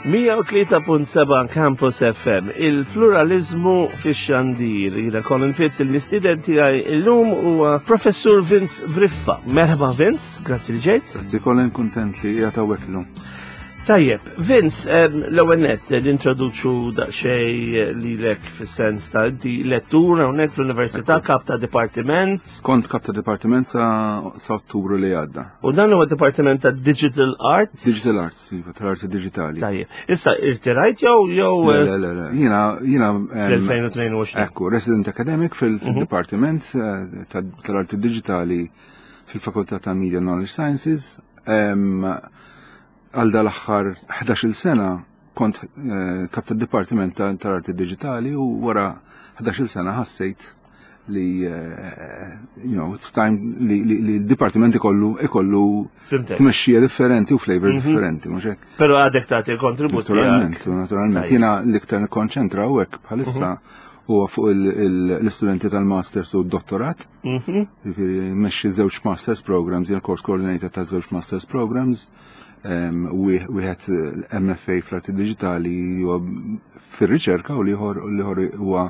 103.7 Campus FM, il-pluralizmu fi xandir. Jina Colin Fitz, il-mistiden tiegħi illum huwa Professur Vince Briffa. Merħba Vince, grazzi li ġejt. Grazzi Colin, kuntent li qiegħed hawnhekk illum. Tajjeb, Vince, l-ewwel nett nintroduċu daqsxejn lilek fis-sens ta' inti lettur hawnhekk fl-Università, kap ta' dipartiment. Kont kap ta' dipartiment sa, sa Ottubru li għadda. U dan huwa dipartiment ta' Digital Arts. Digital Arts, iva, tal-arti digitali. Tajjeb. Issa irtirajt jew jew Le, le, le, le. Jiena jiena fl-2022. Ekku, resident academic fil-dipartiment mhm. eh, tal-arti digitali fil-Fakultà ta' Media Knowledge Sciences. Għal dal-aħħar 11-il sena kont eh, kap tad-Dipartiment tal-Arti Digitali u wara 11-il sena ħassejt li eh, you know, it's time li l-dipartiment ikollu ikollu tmexxija differenti u flavor mhm. differenti, mhux hekk. Però għadek tagħti kontribut. Naturalment, naturalment. Jiena l-iktar nikkonċentra u hekk bħalissa mhm. huwa fuq l-istudenti tal-masters u d-dottorat. Mhm. Jiġifieri mmexxi żewġ masters programs, jien course coordinator ta' żewġ masters programs, wieħed MFA fl-arti digitali huwa fir-riċerka u l-ieħor huwa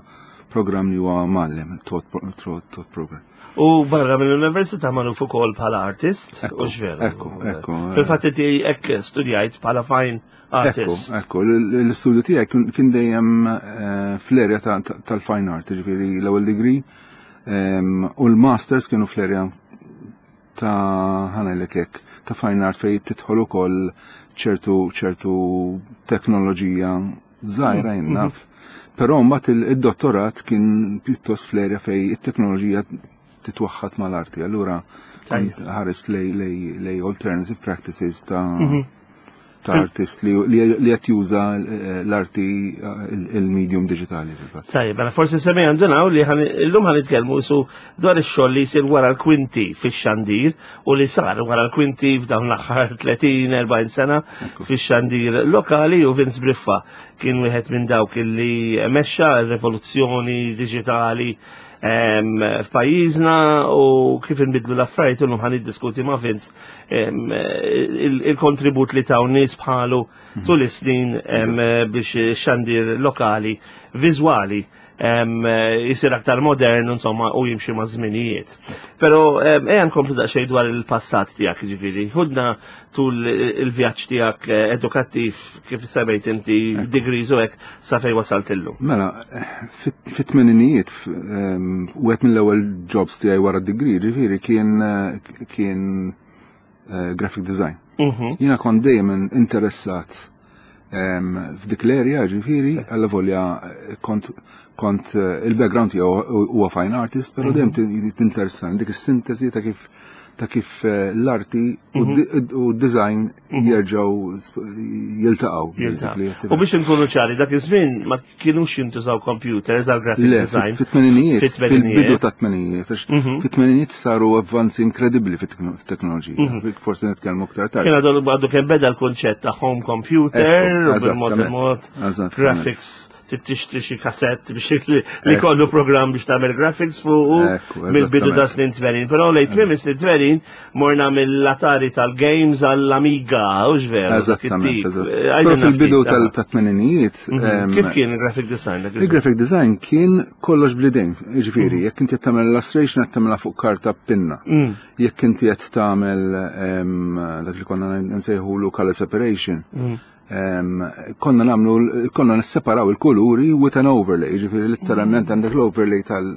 programm li huwa mgħallem, taught program. U barra mill-università magħruf ukoll bħala artist, u x'veru. Ekku, ekku. Fil-fatt inti hekk studjajt bħala fine artist. Ekku, l-istudju tiegħi kien dejjem eh, fl-erja tal-fine art, ġifieri l-ewwel degree u l-masters kienu fl-erja ta' ħanajlek hekk ta' fine art fejn tidħol ukoll ċertu ċertu teknoloġija żgħira jien naf. Mhm. Però mbagħad id-dottorat kien pjuttost fl-erja fejn it-teknoloġija titwaħħad mal-arti. Allura ħares lej alternative practices ta' mhm. ta' artist li qed juża eh, l-arti eh, il-medium digitali fil-fatt. Tajjeb, mela forsi semmi għandunaw li illum ħan nitkellmu su dwar ix-xogħol li jsir wara l-kwinti fix-xandir u li sar wara l-kwinti f'dawn l-aħħar 30-40 sena fix-xandir lokali u Vince Briffa kien wieħed minn dawk li mexxa r-rivoluzzjoni diġitali f'pajjiżna u kif inbidlu l-affarijiet illum ħan niddiskuti ma' Vince il-kontribut li taw nies bħalu mhm. tul is-snin biex xandir lokali viżwali jisir aktar modern insomma u jimxi ma' żminijiet. Però ejja nkomplu daqsxejn dwar il-passat tiegħek ġifieri. Ħudna tul il-vjaġġ tiegħek eh, edukattiv kif semmejt inti degrees u hekk sa fejn wasalt illum. Mela, fit-tmeninijiet wieħed mill-ewwel jobs tiegħi wara d-degree ġifieri kien kien eh, graphic design. Mhm. Jiena kont dejjem interessat f'dik l-area ġifieri, alla volja eh, kont kont eh, il-background tiegħu huwa fine artist, però dejjem mhm. tinteressani dik is-sintesi ta' kif ta' kif eh, l-arti u mhm. d-design mhm. jerġgħu jiltaqgħu. U biex inkunu ċari, dak iż-żmien ma kienux jintużaw computers għal graphic design. Fit-tmeninijiet, fil-bidu ta' tmeninijiet, mhm. fit-tmeninijiet saru avvanzi inkredibbli fit-teknoloġija. Forsi nitkellmu aktar tard. Kien għadu għadu kemm beda l-kunċett ta' home computer, u bil-mod il-mod graphics trid tixtri xi kasett biex li kollu programm biex tagħmel graphics fuq mill-bidu ta' snin 80. Però lejn tmiem is-snin 80 morna mill-Atari tal-games għall-Amiga, u veru. Eżattament. Eh, fil-bidu tal-tmeninijiet. Mhm. Kif kien il-graphic design? Il-graphic design kien kollox blidejn, ġifieri, mhm. jekk inti qed tagħmel illustration qed tagħmilha fuq karta pinna. Mm. Jekk inti qed tagħmel dak li konna nsejħulu color separation. Mm. Konna namlu, konna nisseparaw il-kuluri with an overlay, ġifiri literalment mm. għandek l-overlay tal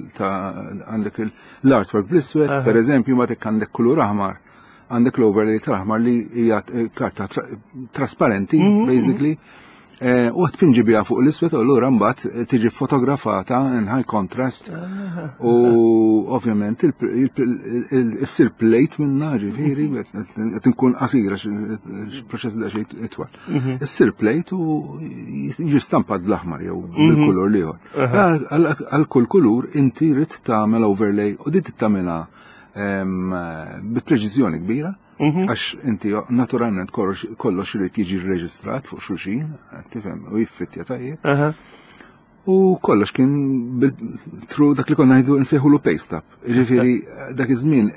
għandek l-artwork bl-iswed, per eżempju, ma tek għandek kulur aħmar, għandek l-overlay tal-aħmar li hija karta trasparenti, mm-hmm. basically, eh, u tpinġi biha fuq l-iswed u allura mbagħad tiġi fotografata in high contrast u ovvjament issir plate minna ġifieri qed inkun qasira proċess daqsxejn itwal. Mhm. Issir plate u jiġi stampat bl-aħmar jew mhm. bil-kulur l-ieħor. Għal kull kulur inti rid tagħmel overlay u dit tagħmilha bi preċiżjoni kbira. Mhm. Għax inti naturalment kollox irid jiġi rreġistrat fuq xulxin, tifhem, u jiffittja tajjeb. U kollox kien through dak li konna ngħidu nsejħulu paste up. Ġifieri dak iż-żmien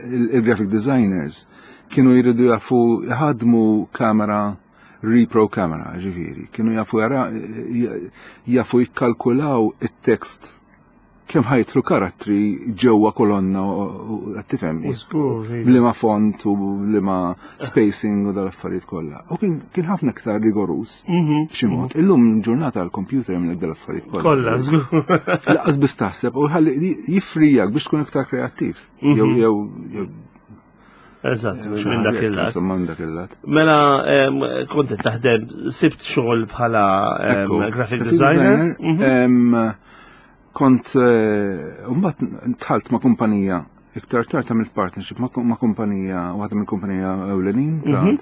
il-graphic designers kienu jridu jafu jħadmu kamera repro camera, ġifieri, kienu jafu jara jafu jikkalkulaw it-tekst kemm ħajtru karattri ġewwa kolonna qed tifhem. Liema font u liema spacing u dal-affarijiet kollha. U kien ħafna iktar rigorus mhm. b'xi mod. Mhm. Illum ġurnata l-computer jagħmlek dal-affarijiet kollha. Kollha, żgur. Laqas biss taħseb u ħalli jifrijak biex tkun iktar kreattiv. Mhm. Jew jew Eżatt, minn dak il-lat. Minn dak il-lat. Mela, kont taħdem, sibt xogħol bħala graphic designer. Kont, eh, mbagħad tħalt ma' kumpanija, iktar tard għamilt partnership ma' kumpanija, waħda minn kumpanija ewlenin mhm.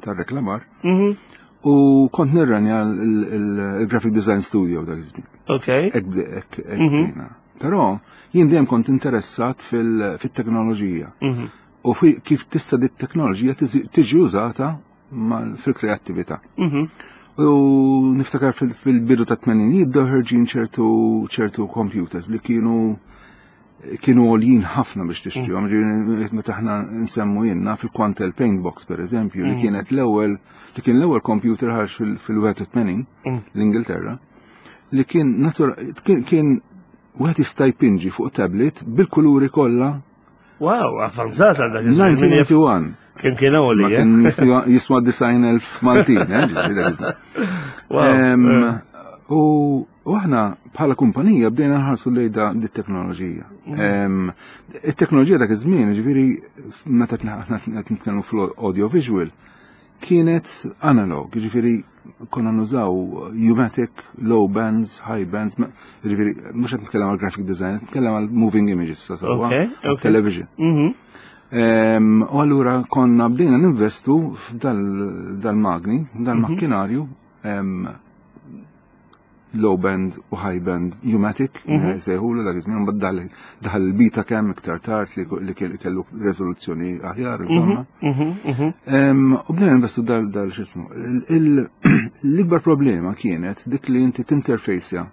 tal-reklamar. Mhm. U kont nirranja il-graphic design studio dak iż-żmien. Ok. Ek, mhm. Però jien dejjem kont interessat fil-teknoloġija. U kif tista' dit teknoloġija tiġi użata fil-kreattività. Mhm. U niftakar fil-bidu ta' tmeninijiet bdew ħerġin ċertu ċertu computers li kienu kienu għoljin ħafna biex tixtrihom. Mm. Meta aħna nsemmu jenna fil-Quantel Paint Box per eżempju, li mm. kienet l-ewwel li kien l-ewwel computer ħarġ fil-81 mm. l-Ingilterra, li kien natura kien wieħed jista' jpinġi fuq tablet bil-kuluri kollha Wow, avvanzat għal dak 1991. Kien kien għoli. Eh? Kien jiswa 90,000 Maltin, eh? Eh. U aħna bħala kumpanija bdejna nħarsu lejn da dit teknoloġija. Mm. It-teknoloġija dak iż-żmien, ġifieri meta aħna qed nitkellmu fl-audio visual, kienet analog, ġifiri konna nużaw U-matic, low bands, high bands, ġifiri, mux għet nitkellem għal graphic design, nitkellem għal moving images, sa sawa, television. Mhm. U allura konna bdejna ninvestu f'dal-magni, dal-makkinarju, low band u high band U-matic, mhm. sejħulu dak iż-żmien, mbagħad daħal il-beta cam iktar tard li kellu riżoluzzjoni aħjar, mhm, insomma. Mhm, u bdejna investu dal dal x'ismu. L-ikbar problema kienet dik li inti tinterfejsja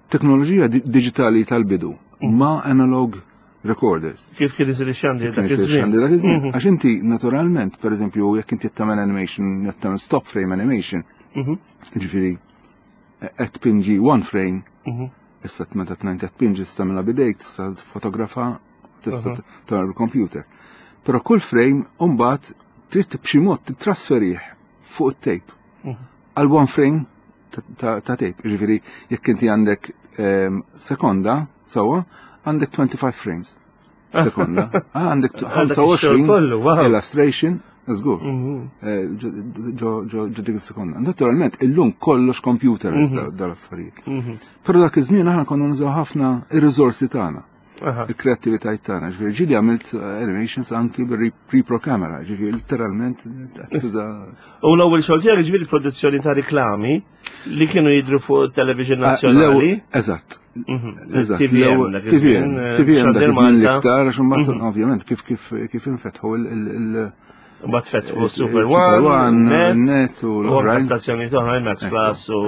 teknoloġija digitali tal-bidu ma' analog recorders. Kif kien isir ix-xandir dak iż-żmien? Dak iż-żmien. Għax inti naturalment, pereżempju, jekk inti tagħmel animation, tagħmel stop frame animation, Ġifieri qed tpinġi one frame, mhm. issa meta tnajn qed tpinġi tista' tagħmilha bidejk, tista' fotografa, tista' tagħmel bil-computer. Però kull frame mbagħad trid b'xi mod titrasferih fuq it-tape. Mhm. Għal one frame ta' tape. Ġifieri jekk inti għandek ehm, sekonda sewwa għandek 25 frames. Sekonda. Ah, għandek 25 illustration, żgur. Mhm. Eh, ġo dik is-sekonda. Naturalment, illum kollox computer mhm. dal-affarijiet. Mhm. Però dak iż-żmien aħna konna nużaw ħafna ir-riżorsi tagħna. Il-kreattivitajiet tagħna. Ġifieri ġieli għamilt eh, animations anki bil-repro camera, ġifieri literalment tuża. U l-ewwel xogħol tiegħek ġifieri produzzjoni ta' riklami Li kienu jidru fuq television ah, nazzjonali. Eżatt. Mhm. Eżatt. TVM. TVM. Eh, TVM dak iż-żmien l-iktar, għax imbagħad mhm. ovvjament kif kif kif infetħu il- Mbagħad fetħu Super One, Net u l-oħrajn. Stazzjoni oħrajn Max Plus u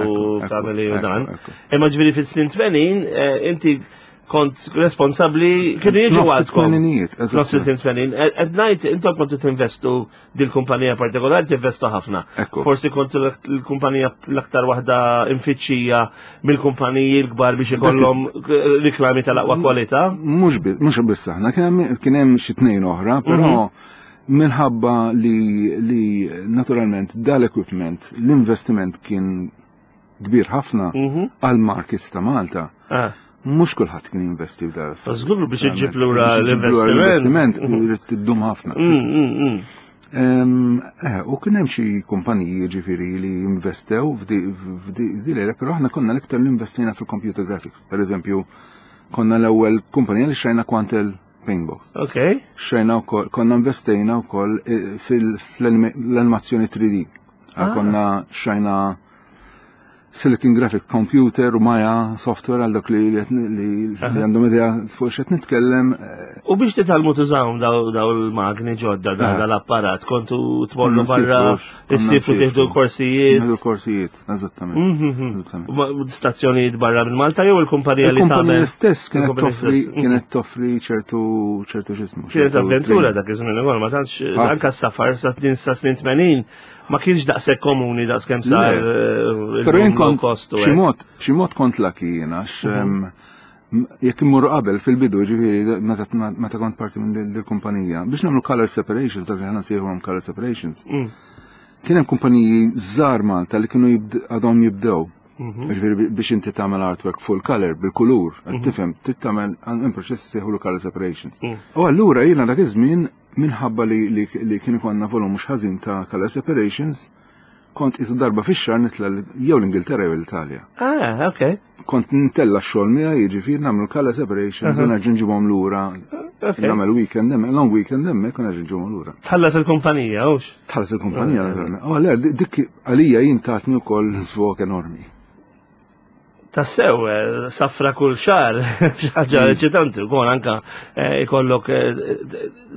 Family u dan. Imma ġifieri fis-snin 80 eh, inti kont responsabbli kienu jiġu għadkom. Nofs is-snin 80. Qed ngħid intom kontu tinvestu dil-kumpanija partikolari tinvestu ħafna. Forsi kont l-kumpanija l-aktar waħda infittxija mill-kumpaniji l-kbar biex ikollhom riklami tal-aqwa kwalità. Mhux biss aħna, kien hemm xi tnejn oħra, però mhm. minħabba li, li naturalment dal-equipment, l-investiment kien kbir ħafna mhm. għal market ta' Malta. Ah. Mhux kulħadd kien jinvesti f'dar. Żgur biex iġġib lura l-investiment. L-investiment irid tiddum ħafna. Mm, mm, mm. Eh, u kien hemm xi kumpaniji ġifieri li investew f'di l-era, però aħna konna l-iktar li investejna fil-computer graphics. Per eżempju, konna l-ewwel kumpanija li xrajna Quantel Paintbox. Ok. Xrajna wkoll, konna investejna wkoll eh, fil-animazzjoni 3D. Ah. Konna xrajna. Silicon Graphic Computer u Maya software għal dak li li għandhom idea fuq x'qed nitkellem. Eh. U biex titgħallmu tużawhom daw il-magni ġodda dal-apparat, kontu tmorru barra issifru tieħdu korsijiet. Tieħdu korsijiet, eżattament. Mhm, mhm. Stazzjonijiet barra minn Malta jew il-kumpanija li tagħmel. Il-kumpanija stess kienet toffri kienet toffri ċertu ċertu x'ismu. Kienet avventura dak iż-żmien ukoll ma tantx anke s-safar sa snin sa snin 80 Ma kienx daqshekk komuni daqs kemm sar eh, Però jien kont b'xi mod, b'xi mod kont lucky jien għax mhm. jekk immur qabel fil-bidu ġifieri meta kont parti minn dil-kumpanija biex nagħmlu color separations dak li ħana sejħuhom color separations. Mm. Kien hemm kumpaniji żgħar Malta li kienu għadhom jibdew. Mhm. Ġifieri biex inti tagħmel artwork full color bil-kulur, mhm. tifhem, trid tagħmel hemm proċess sejħulu color separations. Mm. U allura jiena dak iż-żmien Minħabba li li kien ikollna volum mhux ħażin ta' color separations, kont qisu darba fix-xahar nitla' jew l-Ingilterra jew l-Italja. Ah, ok. Kont ntella' x-xogħol miegħi, jiġifieri nagħmlu color separations u nerġa' nġibhom lura. Nagħmel weekend hemmhekk, long weekend hemmhekk u nerġa' nġibhom lura. Tħallas il-kumpanija, hux? Tħallas il-kumpanija, naturalment. Oh, le, dik għalija jien tatni wkoll żvok enormi. Tassew, eh, safra kull xar, xaġa mm. eċitanti, ukoll anka eh, ikollok eh,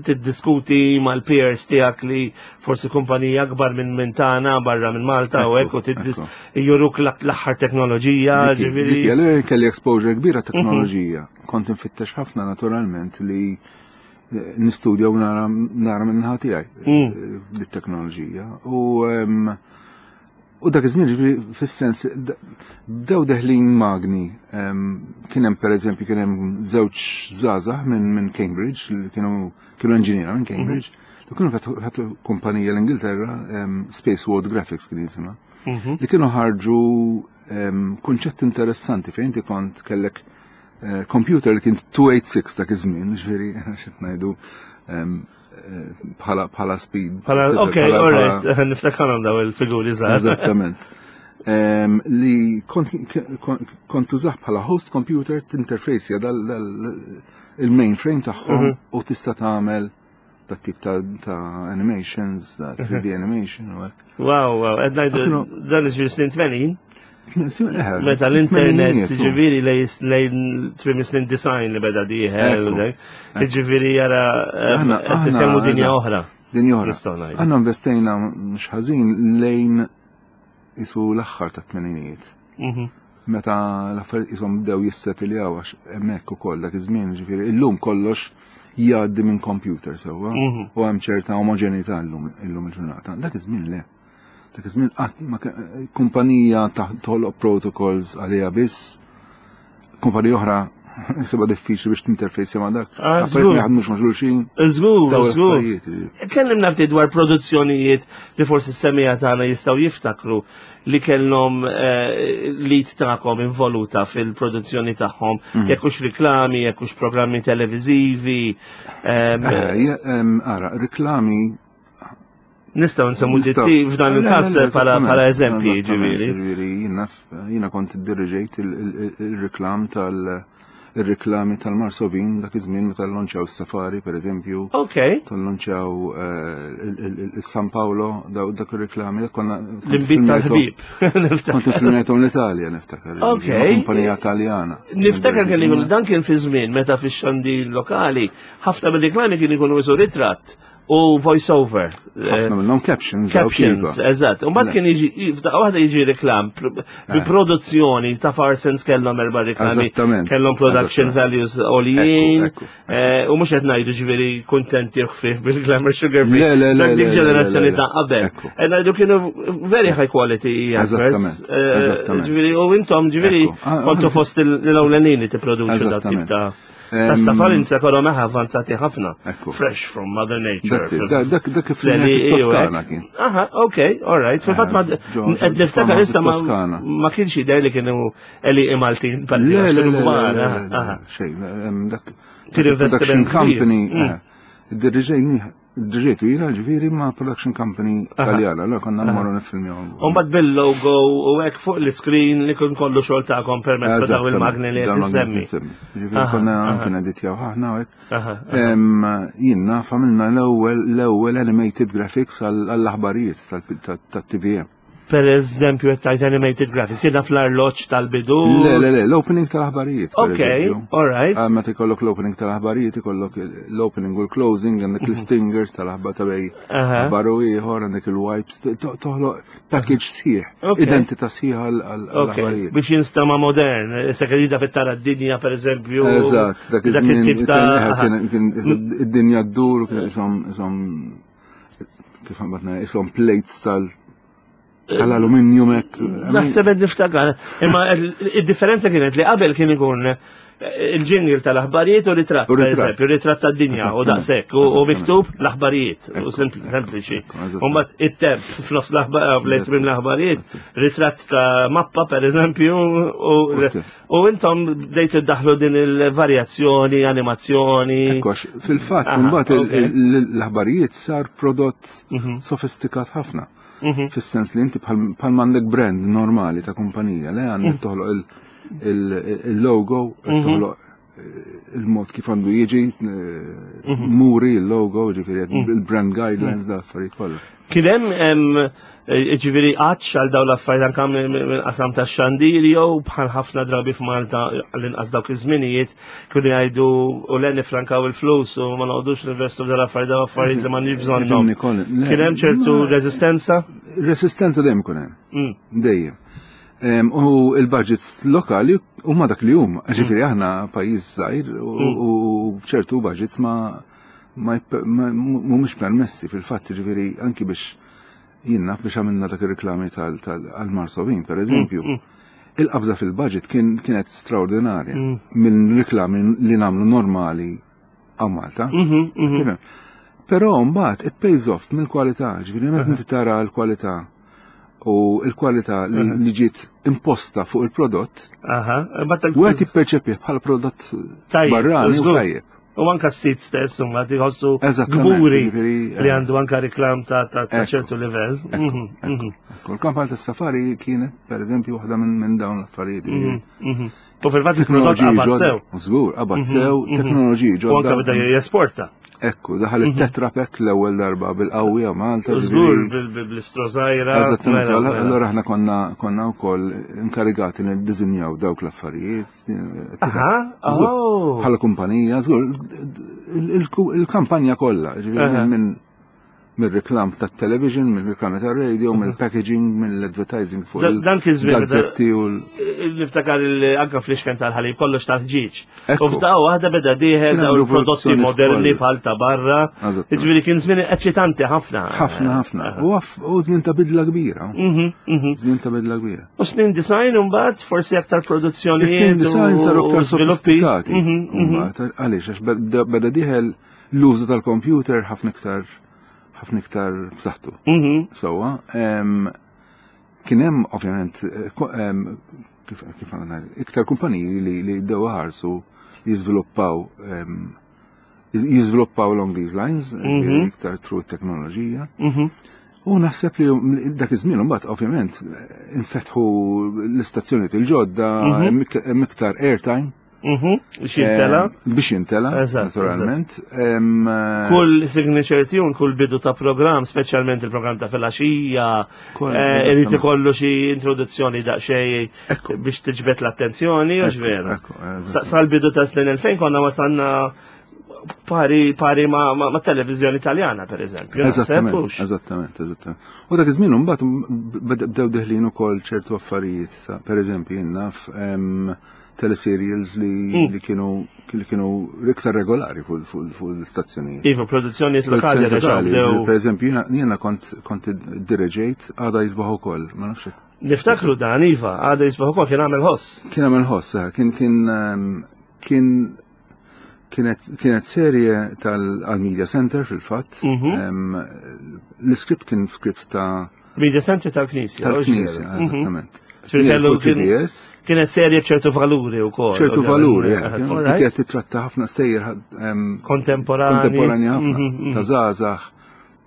tiddiskuti mal-peers tiegħek li forsi kumpanija akbar minn minn tagħna barra minn Malta u hekk u juruk l-aħħar teknoloġija, ġifieri. Kelli exposure kbira mhm. teknoloġija. Kont infittex ħafna naturalment li nistudja u nara minnaħa tiegħi mm. dit-teknoloġija. U U dak iż-żmien ġifieri fis-sens bdew deħlin magni. Kien hemm pereżempju kien hemm żewġ żgħażagħ minn min Cambridge li kienu kienu inġiniera minn Cambridge li kienu fetħu kumpanija l-Ingilterra Space World Graphics kien jisimha. Mhm. Li kienu ħarġu kunċett interessanti fejn inti kont kellek eh, computer li kien 286 dak iż-żmien, ġifieri x'qed ngħidu bħala bħala speed. Bħala, ok, all right, niftakarhom daw il-figuri żgħar. Eżattament. Li kont tużah bħala host computer tinterface dal il-mainframe tagħhom mhm. u tista' tagħmel dat tip ta' animations, ta' 3D mhm. animation u hekk. Wow, wow, qed ngħidu dan iġifieri snin 80. Meta l-internet ġifieri lejn trim snin design li beda dieħel, ġifieri jara eh, nitkellmu dinja oħra. Dinja oħra. Aħna investejna mhux ħażin lejn isu l-aħħar ta' tmeninijiet. Mhm. Meta l-affarijiet isom bdew jissetiljaw għax hemmhekk ukoll dak iż-żmien, ġifieri illum kollox jgħaddi minn computer sewwa mhm. u hemm ċerta omoġenità llum il-ġurnata. Dak iż-żmien le. Dak iż-żmien qatt ma kumpanija toħloq protocols għaliha biss, kumpanija oħra Seba diffiċli biex tinterfejsja ma' dak. Ah, Affarijiet ma jaħdmux ma' xulxin. Żgur, żgur. Kellimna ftit dwar produzzjonijiet li forsi s-semija tagħna jistgħu jiftakru li kellhom eh, lit tagħkom involuta fil-produzzjoni tagħhom, mhm. jekk hux riklami, jekk hux programmi televiżivi. Eh, ara, riklami Nistaw nsemmu ditti f'dan il-każ bħala eżempji ġifieri. Ġifieri jiena kont iddirriġejt il-reklam tal- il-reklami tal-Marsovin dak iż-żmien meta llonċjaw is-Safari pereżempju. Ok. Tal-lonċjaw eh, il-San Paolo dak ir-reklami dak konna. L-imbit tal-ħbib. Kont infilmjatom l-Italja niftakar. Ok. Kumpanija Taljana. Niftakar kelli dan kien fi żmien meta fix-xandir lokali ħafna mir-reklami kien ikunu isu ritratt u voice over. Ħafna minnhom captions. Captions, eżatt. U mbagħad kien jiġi f'daqqa waħda jiġi reklam bi eh. produzzjoni ta' Farsens kellhom erba' reklami, kellhom production values għoljin. Eh, u mhux qed ngħidu ġifieri kuntenti ħfief bil-glamour sugar free. Le, le, le. Dik ġenerazzjoni ta' qabel. Qed ngħidu kienu very high quality adverts. Eh, ġifieri u intom ġifieri ah, kontu ah. fost l-ewlenin li tipproduċu dat tip ta' Tas-safar insa kollhom eħ avvanzati ħafna. Fresh from Mother Nature. Dak dak kif Toskana kien. Aha, ok, all right. Fil-fatt ma qed niftakar issa ma kienx jidher li kienu eli Maltin Le, le, le. Xejn, dak. Kien investiment company. Mm. Dirriġejni Dirġejtu jina ġviri ma' production company taljana, la konna mmorru nifilmjaw. Umbad bil-logo u hekk fuq l-screen li kun kollu xogħol tagħkom permezz ta' daw il-magni li qed issemmi. Ġifieri konna kien editjaw ħafna u hekk. Jien naf għamilna l-ewwel l-ewwel animated graphics għall-aħbarijiet tat-TVM. Per eżempju, qed tgħid animated graphics, jiena fl-arloġġ tal-bidu. Le, le, le, l-opening tal-aħbarijiet. Ok, all right. Ah, meta jkollok l-opening tal-aħbarijiet, ikollok l-opening u l-closing, għandek mhm. l-stingers tal-aħbar ta' bej aħbar u ieħor, għandek il-wipes, toħloq package sħiħ, identità sħiħa għall-aħbarijiet. Biex jinstama modern, issa kedida fit-tara d-dinja per eżempju. Eżatt, dak iż-żmien ta' kien id-dinja ddur, kien isom kif għambatna, isom plates tal tal-aluminium hekk. Naħseb qed niftakar, imma id-differenza kienet li qabel kien ikun eh, il-ġingil tal-aħbarijiet u ritratt, per eżempju, ritratt tad-dinja u daqshekk u miktub l-aħbarijiet u sempliċi. U mbagħad it-temp f'nofs l-aħbarijiet l-aħbarijiet, ritratt ta' mappa per eżempju u intom bdejt iddaħlu din il-varjazzjoni, animazzjoni. Fil-fatt, mbagħad l-aħbarijiet sar prodott mhm. sofistikat ħafna. Mhm. Fis-sens li inti bħal m'għandek brand normali ta' kumpanija, le għandek mhm. toħloq il-logo, toħloq eh, il-mod kif għandu jiġi, eh, muri il-logo, ġifieri il-brand guidelines da affarijiet kollha. Kien hemm eh, ġifieri għatx għal dawn l-affarijiet anke minn qasam tax-xandir jew bħal ħafna drabi f'Malta għall-inqas dawk iż-żminijiet kienu jgħidu u le nifrankaw il-flus u ma noqogħdux ninvestu f'dal affarijiet dawn affarijiet li m'għandniex bżonnhom. Kien hemm ċertu reżistenza? Resistenza dejjem ikun hemm. Mm. Dejjem. U il-budgets lokali huma dak li huma. Mm. Ġifieri aħna pajjiż żgħir mm. u ċertu budgets ma mhumiex permessi fil-fatt ġifieri anki biex Jien naf biex għamilna dak ir-riklami tal-Marsovin, per eżempju. Mm, mm. Il-qabża fil-budget kienet straordinarja mm. minn riklami li nagħmlu normali għaw Malta. Mm-hmm, mm-hmm. Però mbagħad it pays off mill-kwalità, ġifieri meta inti tara l-kwalità u l-kwalità li ġiet imposta fuq il-prodott, u qed jipperċepih bħala prodott barrani u tajjeb. U anka s-sit stess, huma jħossu kburi li eh. għandu anka reklam ta' ċertu livell. Mhm, mhm. Il-kampanja tas-safari kienet, per eżempju, waħda minn dawn l-affarijiet. Mhm, u fil-fatt il-prodott qabad sew. Żgur, qabad sew, teknoloġiji ġodda. U anka beda jesporta. Ekku, daħal mhm. it-tetra pack l-ewwel darba bil-qawwi Malta. Żgur bl-istrożajra. Eżattament, mela, allura aħna konna konna wkoll inkarigati niddiżinjaw dawk l-affarijiet. Aha, oh. Bħala kumpanija, żgur, il-kampanja kollha, ġifieri minn mill-reklam ta' television, mill-reklam ta' radio, mhm. mill-packaging, mill-advertising fuq Dan kien żmien gazzetti u niftakar anka fl-ixken tal-ħalib kollox tal-ħġieġ. U f'daqqa waħda beda dieħel daw il-prodotti moderni bħal ta' barra. Ġifieri kien żmien eċitanti ħafna. Ħafna ħafna. U żmien ta' bidla kbira. Mhm, mhm. Żmien ta' bidla kbira. U snin design imbagħad forsi aktar produzzjoni. Snin design saru aktar sofistikati. Għaliex għax beda dieħel l-użu tal-computer ħafna iktar ħafna iktar b'saħħtu. Mhm. Sewwa, kien hemm ovvjament kif kif iktar kumpaniji li li bdew ħarsu jiżviluppaw jiżviluppaw along these lines, mhm. iktar through teknoloġija. Mhm. U naħseb li dak iż-żmien imbagħad ovvjament infetħu l-istazzjonijiet il-ġodda, hemm iktar airtime. Mhm, biex jintela. Eh, biex jintela, naturalment. Eh, kull signature tune, kull bidu ta' program, specialment il-program ta' filaxija, eh, irid ikollu xi introduzzjoni daqsxejn biex tiġbed l-attenzjoni, u vera. Sal-bidu ta' snin 2000 konna wasanna pari pari ma, ma, ma televizjoni italjana per eżempju. Eżattament, eżattament, eżattament. U dak iż-żmien imbagħad bdew deħlin ukoll ċertu affarijiet, per eżempju jien naf teleserials li, mm. li kienu li kienu iktar regolari fuq l-istazzjonijiet. Iva, produzzjonijiet lokali. Per eżempju, jiena kont kont direġejt għada jisbaħ ukoll, ma nafx. Niftakru dan, Iva, għada jisbaħ ukoll kien għamel ħoss. Kien għamel ħoss, eh, kien kien ehm, kien kienet kienet serje tal-Media Center fil-fatt. Mhm. Ehm, l-iskript kien skript ta' Media Center tal-Knisja. Tal-Knisja, mhm. eżattament. Kienet serje b'ċertu valuri u kol. ċertu valuri, eh, kienet titratta ħafna stejjer ehm, kontemporani. Kontemporani ħafna, mhm, ta' zazax,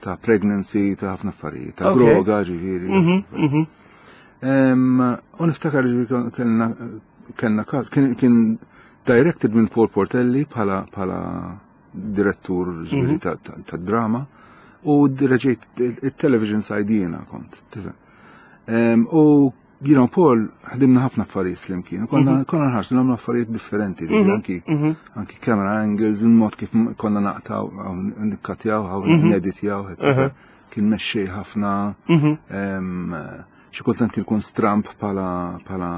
ta' pregnancy, ta' ħafna affarijiet, ta' droga, ġifieri. Mhm, u niftakar li kellna kellna każ, kien directed minn Paul Portelli bħala bħala direttur ġifieri mhm. ta' drama u direġejt il-television side jiena kont, tifhem. U you know, Paul, ħdimna ħafna affarijiet flimkien, konna mhm. konna nħarsu nagħmlu affarijiet differenti, mhm, anki mhm. anki camera angles, il-mod kif konna naqtaw, nikkatjaw, neditjaw, kien mexxej ħafna, xi kultant kien ikun stramp bħala bħala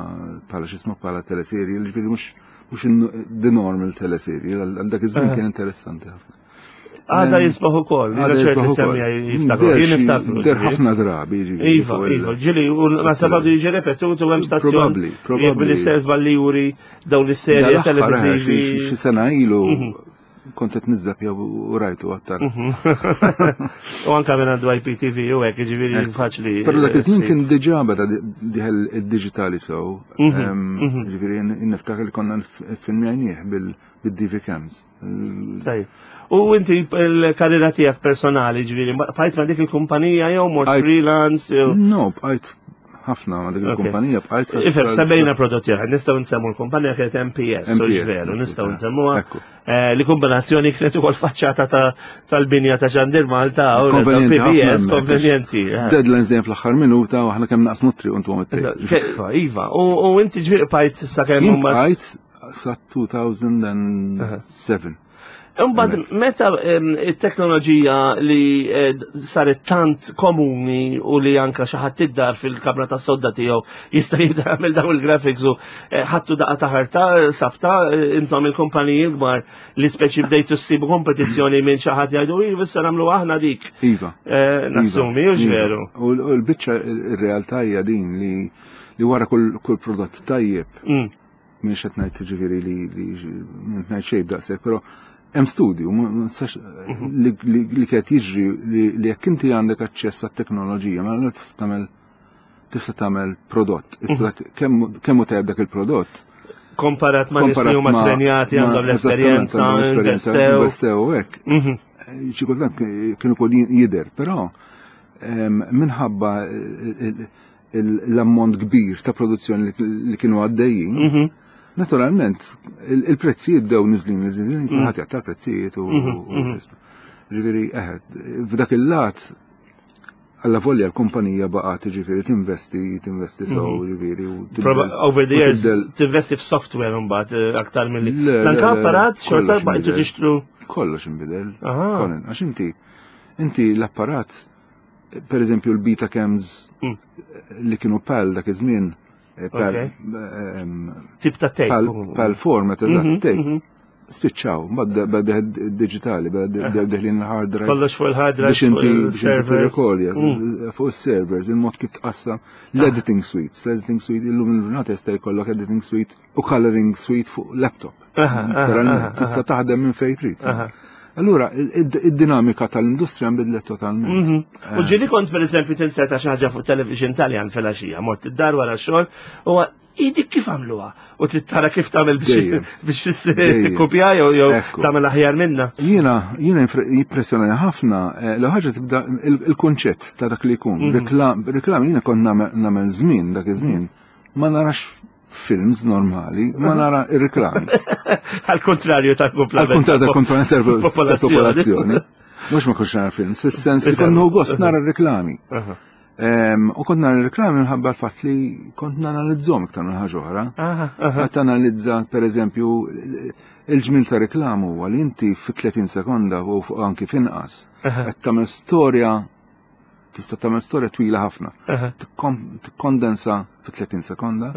bħala x'ismu bħala teleserje, ġifieri mhux mhux the normal teleserje, għal dak iż-żmien kien interessanti ħafna. Għada jisbaħ ukoll, għada jisbaħ ukoll. Jiftakru, jien niftakru. Der ħafna drabi. Iva, iva, ġili, u nasab għadu jiġi repetutu hemm stazzjon. Probabbli, probabbli. Bil-istess balli juri dawn is-serje televiżivi. Xi sena ilu mhm. kont qed niżżab jew u rajtu aktar. Mhm. U anka minn għandu IPTV u hekk, jiġifieri faċli. Però dak iż-żmien kien diġà beda diħel id-diġitali sew. Mhm, Ġifieri niftakar li konna filmjajnieh bil-DV cams. Tajjeb. U inti l-karriera tiegħek personali, ġifieri, bqajt ma' dik il-kumpanija jew mort freelance? No, bqajt ħafna ma' dik il-kumpanija bqajt. Ifhem, semmejna prodotti oħra, nistgħu nsemmu l-kumpanija kienet MPS, veru, nistgħu nsemmuha. Eh, li kombinazzjoni kienet ukoll faċċata tal-binja ta' Xandir Malta u PBS konvenjenti. Eh. Deadlines dejjem fl-aħħar minuta u aħna kemm naqsmu triq untu għom Iva, u inti ġifieri bqajt s'issa kemm bqajt sa 2007. Imbagħad meta it-teknoloġija li eh, saret tant komuni u li anka xi ħadd id-dar fil-kamra tas-sodda tiegħu jista' jagħmel dawn il-graphics u eh, ħattu daqqa ta' ħarta sabta eh, intom il-kumpaniji l-kbar li speċi bdejtu ssibu kompetizzjoni minn xi ħadd jgħidu iva issa nagħmlu aħna dik. Iva. Nassumi, u iva. veru. U l-biċċa ir-realtà hija din li wara kull prodott tajjeb mm. Mhix qed ngħid ġifieri li li ngħid xejn daqshekk, però hemm studju mhm. li qed jiġri li jekk inti għandek aċċess għat-teknoloġija, ma tista' tagħmel tista' tagħmel prodott. Issa mhm. kemm hu tajjeb dak il-prodott? Komparat ma' nies li huma trenjati għandhom l-esperjenza, investew. Investew hekk. Mhm. Xi kultant kienu kol jidher, però minħabba l-ammont kbir ta' produzzjoni li kienu għaddejjin, mhm. naturalment il-prezzijiet bdew niżlin, niżlin, mhm. kulħadd jaqta' prezzijiet u mhm, ġifieri eħed, f'dak il-lat alla volja l-kumpanija baqgħet ġifieri tinvesti, tinvesti sew ġifieri u Over the years tinvesti f'software mbagħad eh, aktar milli. L-anka apparat xorta baqgħet tixtru. Kollox inbidel. Għax inti inti l-apparat per eżempju l-beta cams mm. li kienu pal dak iż-żmien eh, pal eh, tip ta' tape. Pal format eżatt mhm, tape. Mhm. Spiċċaw, bada digitali, bada deħlin il-hard drive. Kollox fuq il-hard drive. Biex inti biex tirrekordja mm. fuq il-servers, il-mod kif tqassam l-editing suites, l-editing suite illum il-ġurnata jista' jkollok editing suite u coloring suite fuq laptop. Tista' taħdem minn fejn trid. Allura, id-dinamika tal-industrija nbidlet totalment. Mhm. U ġili kont per eżempju tinseta xi ħaġa fuq television Taljan fil-għaxija, mort id-dar wara xogħol u idik kif għamluha u trid tara kif tagħmel biex tikkopja jew jew tagħmel aħjar minna. Jiena jiena jimpressjonani ħafna eh, l ħaġa tibda il-kunċett ta' dak li jkun. Mhm. Reklam jiena kont nagħmel żmien dak iż-żmien ma narax films normali, ma nara ir-reklami. Għal kontrarju tal-kumplament. Għal kontrarju tal-kumplament tal-popolazzjoni. Mux ma konx nara films, fis-sens li kont gost nara r-reklami. U kont nara r-reklami minħabba l-fatt li kont nanalizzhom iktar minn ħaġa oħra. Qed analizza pereżempju il-ġmil ta' reklam huwa li inti fi 30 sekonda u anki finqas qed tagħmel storja Tista' tagħmel storja twila ħafna. Tikkondensa fi 30 sekonda.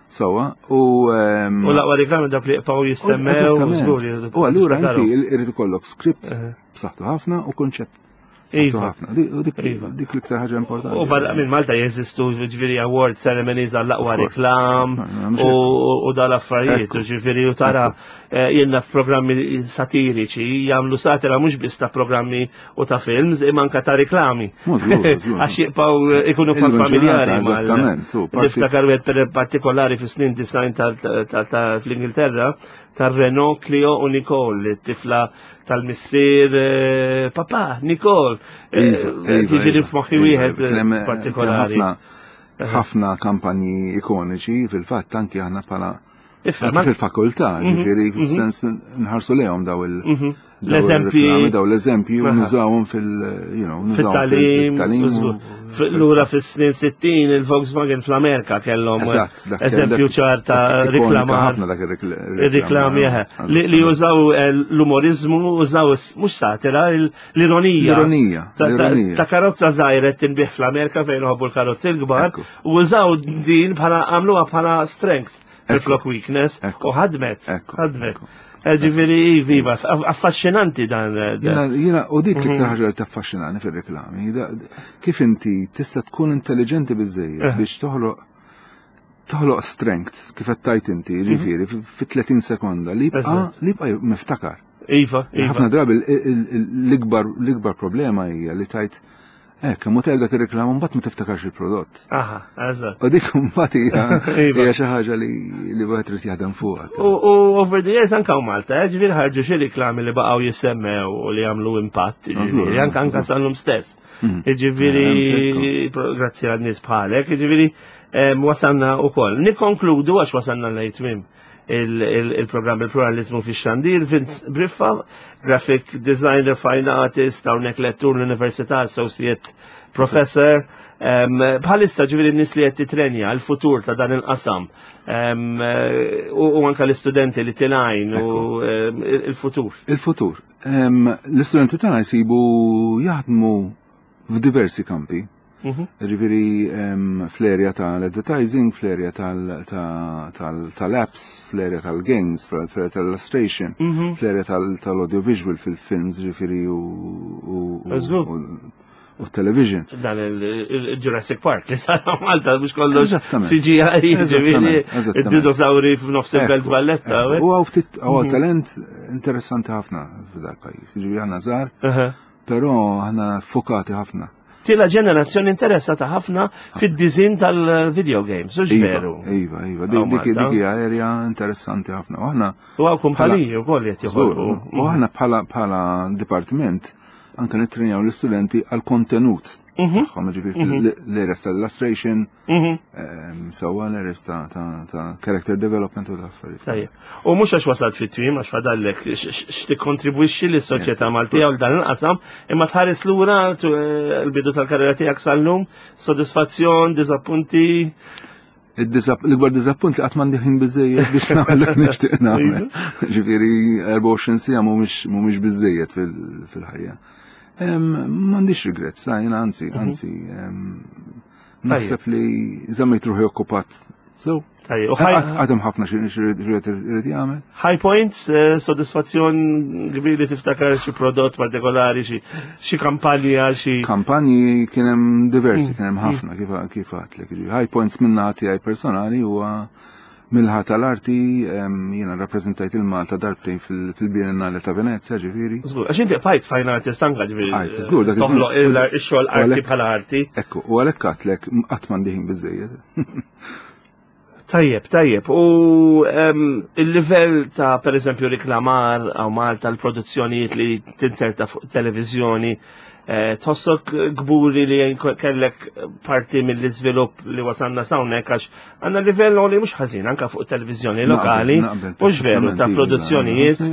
Sawa, u. Ehm, u l-aqwa reklami dak li jibqgħu jissemmew. U allura inti irid ikollok script b'saħħtu ħafna u kunċett Iva. ħafna. Iva. Dik l-iktar ħaġa importanti. U barra minn Malta jeżistu ġifieri award ceremonies għall-aqwa reklam u dal-affarijiet, ġifieri u tara eh, jenna f'programmi satiriċi jagħmlu satira mhux biss ta' programmi u ta' films imma anka ta' reklami. Għax jibqgħu eh, ikunu kwa familjari Eżattament. Niftakar wieħed partikolari fis-snin design fl-Ingilterra tar Renault Clio u Nicole, tifla tal-missier eh, papà Nicole. Eh, iva, iva, Tiġi iva, f'moħħi wieħed partikolari. Ħafna kampanji ikoniċi fil-fatt anki aħna bħala. Ifhem, Fil-fakultà, ġifieri, fis-sens nħarsu lejhom daw il- L-eżempji. Daw l-eżempji u nużawhom fil- you know, Fit-talim, lura fis-snin 60 il-Volkswagen fl-Amerika kellhom eżempju ċar ta' riklamar. Ħafna dak ir-reklami li jużaw eh, l-umorizmu, użaw mhux satira, l-ironija. L-ironija. Ta' karozza żgħira tinbih fl-Amerika fejn uħobbu l-karozzi l-kbar, u użaw din bħala għamluha bħala strength. Flok weakness u ħadmet, ħadmet. Eh, ġifieri, iva, affaxxinanti dan. Eh, jiena, u dik l-iktar mhm. ħaġa li taffaxxinani fir-reklami, kif inti tista' tkun intelligenti biżejjed eh. biex toħloq toħloq strength kif qed tajt inti, mhm. ġifieri, fi 30 sekonda li jibqa' li jibqa' miftakar. Iva, iva. Ħafna drabi l-ikbar l-ikbar problema hija li tajt Eh, kemm hu dak ir-reklam mbagħad ma tiftakarx il-prodott. Aha, eżatt. U dik mbagħad hija iva. xi ħaġa li li wieħed irid jaħdem fuqha. U over the years anke Malta, eh, ġifieri ħarġu xi riklami li baqgħu jissemmew u li jagħmlu impatt, ġifieri anke anke sal-lum stess. Mm. Ġifieri grazzi għal nies bħalek, ġifieri wasalna wkoll. Nikkonkludu għax wasalna lejn tmiem il-programm il-pluralizmu fi xandir, Vince Briffa, graphic designer, fine artist, hawnhekk lettur l-Università, associate professor. Bħalissa ġifieri n-nies li qed titrenja l-futur ta' dan il-qasam u anka l-istudenti li tilajn u il-futur. Il-futur. L-istudenti tagħna jsibu jaħdmu f'diversi kampi. Mhm. Ġifieri fl-area tal-advertising, fl-area tal-apps, fl-area tal-games, fl-area tal-illustration, mhm. fl-area tal-audiovisual fil-films, ġifieri u u television. Dan il-Jurassic Park li sar Malta biex kollox CGI, ġifieri id-dinosauri f'nofs il-Belt Valletta. U għaw ftit għaw mhm. talent interessanti ħafna f'dal pajjiż. Ġifieri aħna żgħar Però aħna fokati ħafna. Tila ġenerazzjoni interessata ħafna fid-dizin tal-video games, u iva, veru. Iva, iva, dik dik hija area interessanti ħafna. U aħna U għaw kumpaniji wkoll qed joħolqu. U aħna bħala bħala dipartiment anke nittrenjaw l-istudenti għal kontenut. Mhm. Tagħhom ġifieri mhm. l-area tal-illustration, Mhm. Sewwa l-errors ta' character development u l-affarijiet. Tajjeb. U mhux għax wasalt fit-twim, għax fadallek x'tikkontribwixxi lis-soċjetà Maltija u dan il-qasam, imma tħares lura eh, l-bidu tal-karriera tiegħek sal-lum, sodisfazzjon, diżappunti. L-ikbar diżappunt li qatt m'għandi ħin biżejjed biex nagħmel dak nixtieq nagħmel. Iva. Ġifieri 24 siegħa mhumiex biżejjed fil-ħajja. M'għandix regrets, jiena anzi, mhm. anzi Naħseb li żammejt ruħi okkupat. So, għadem ħafna xi irid jagħmel. High points, eh, sodisfazzjon kbir li tiftakar xi prodott partikolari, xi kampanja, xi. Kampanji kien hemm diversi, mm. kien hemm mm. ħafna kif kif għadlek. High points minna tiegħi personali huwa Mill-ħa tal-arti, jiena rappreżentajt il-Malta darbtejn fil-Biennale ta' Venezia, ġifieri. Żgur, għax inti bqajt fine artist anka ġifieri. Għajt, żgur, dak toħloq ix-xogħol arti bħala arti. Ekku, u għalhekk għadlek qatt m'għandi ħin biżejjed. Tajjeb, tajjeb. U il-livell ta' per eżempju riklamar għaw Malta l-produzzjonijiet li tinserta fuq televizjoni, Eh, tħossok gburi li kellek parti mill-iżvilupp li wasanna sawnek għax għandna livell li mhux ħażin anka fuq televizjoni lokali, mhux veru ta' produzzjonijiet,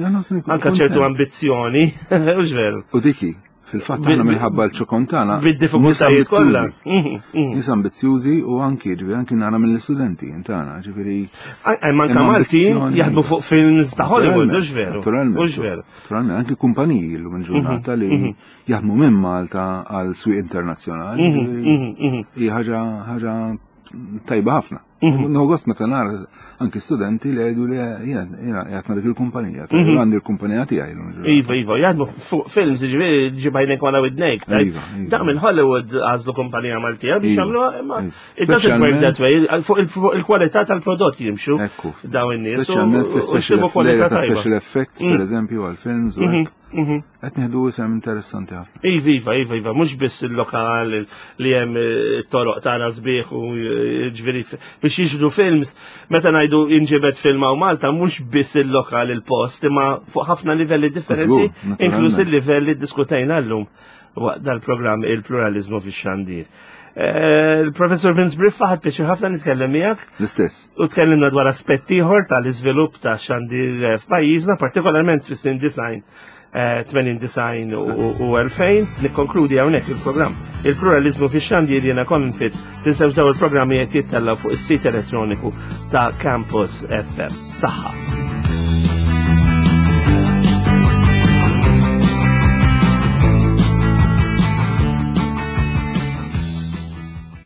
anka ċertu ambizzjoni, mhux veru. U diki, fil-fatt aħna minħabba l-ċokon tagħna. Bid-diffikultajiet kollha. Mhm, mhm. Nies ambizzjużi u anki ġifieri anki nara mill-istudenti tagħna, ġifieri. Manka Malti jaħdmu fuq films ta' Hollywood, mhux veru. Mhux veru. Naturalment, anki kumpaniji l-lum il-ġurnata mhm, li mhm. jaħdmu minn Malta għal swieq internazzjonali. Mhm, hija ħaġa ħaġa tajba ħafna. Nħogost meta nara anki studenti li jgħidu li jiena jiena qiegħed ma' dik il-kumpanija, għandi l-kumpanija tiegħi. Iva, iva, jaħdmu fuq films, ġifieri ġibajnek wara widnejk. Iva, iva. Dak minn Hollywood għażlu kumpanija Maltija biex jagħmluha imma It doesn't work that way. Fuq il-kwalità tal-prodott jimxu daw in-nies. Speċjalment fl-special effects, per mm. eżempju, għal-films u mhm, mhm. Qed nieħdu isem interessanti ħafna. Iva, iva, iva, iva, mhux biss il-lokal li hemm eh, toroq tagħna sbieħ u eh, ġifieri biex jiġru films, meta ngħidu inġibet film hawn Malta mhux biss il-lokal il-post, imma fuq ħafna livelli differenti, inkluż il-livelli diskutejna llum waqt dal-programm il-pluralizmu fix-xandir. Eh, Il-Professor Vince Briffa ħadd pjaċir ħafna nitkellem miegħek. L-istess. U tkellimna dwar aspett ieħor tal-iżvilupp ta' xandir eh, f'pajjiżna, partikolarment fis-snin design 80 design u 2000. Nikkonkludi hawnhekk il-programm. Il-pluralizmu fix-xandir jiena Colin Fitz tinsewx daw il-programmi qed jittellgħu fuq is-sit elettroniku ta' Campus FM. Saħħa.